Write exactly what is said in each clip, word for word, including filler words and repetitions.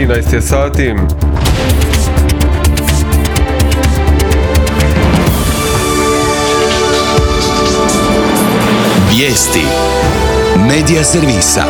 trinaest je sati. Vijesti Medija servisa.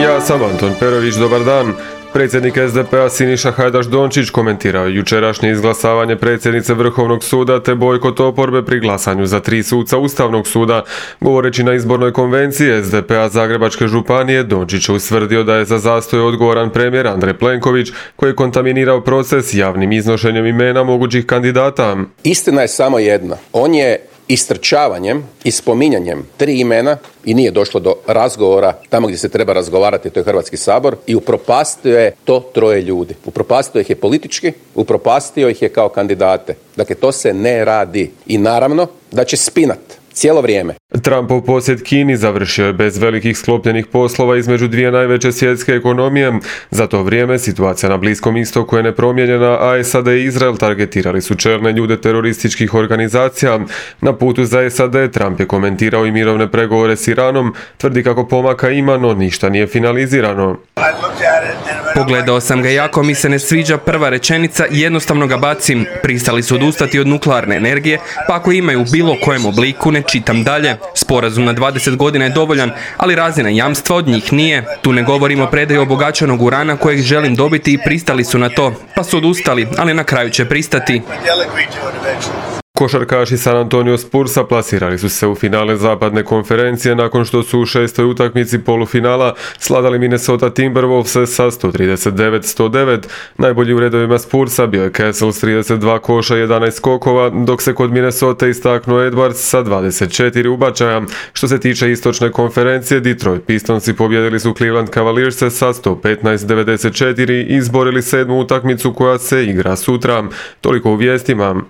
Ja sam Anton Perović, dobar dan. Predsjednik es de pe a Siniša Hajdaš Dončić komentirao jučerašnje izglasavanje predsjednice Vrhovnog suda te bojkot oporbe pri glasanju za tri suca Ustavnog suda. Govoreći na izbornoj konvenciji es de pe a Zagrebačke županije, Dončić je ustvrdio da je za zastoj odgovoran premijer Andrej Plenković, koji je kontaminirao proces javnim iznošenjem imena mogućih kandidata. Istina je samo jedna. On je istrčavanjem i spominjanjem tri imena i nije došlo do razgovora tamo gdje se treba razgovarati, to je Hrvatski sabor, i upropastio je to troje ljudi. Upropastio ih je politički, upropastio ih je kao kandidate. Dakle, to se ne radi. I naravno da će spinat cijelo vrijeme. Trumpov posjet Kini završio je bez velikih sklopljenih poslova između dvije najveće svjetske ekonomije. Za to vrijeme situacija na Bliskom istoku je nepromijenjena, a es a de i Izrael targetirali su čelne ljude terorističkih organizacija. Na putu za es a de Trump je komentirao i mirovne pregovore s Iranom, tvrdi kako pomaka ima, no ništa nije finalizirano. Pogledao sam ga jako mi se ne sviđa prva rečenica i jednostavno ga bacim. Pristali su odustati od nuklearne energije, pa ako imaju u bilo kojem obliku ne čitam dalje. Sporazum na dvadeset godina je dovoljan, ali razina jamstva od njih nije. Tu ne govorimo o predaju obogaćenog urana kojeg želim dobiti i pristali su na to, pa su odustali, ali na kraju će pristati. Košarkaši San Antonio Spursa plasirali su se u finale zapadne konferencije nakon što su u šestoj utakmici polufinala sladali Minnesota Timberwolves sa sto trideset devet sto devet. Najbolji u redovima Spursa bio je Castle s trideset dva koša i jedanaest skokova, dok se kod Minnesota istaknuo Edwards sa dvadeset četiri ubačaja. Što se tiče istočne konferencije, Detroit Pistonsi pobjedili su Cleveland Cavaliers sa sto petnaest devedeset četiri i izborili sedmu utakmicu koja se igra sutra. Toliko u vijestima.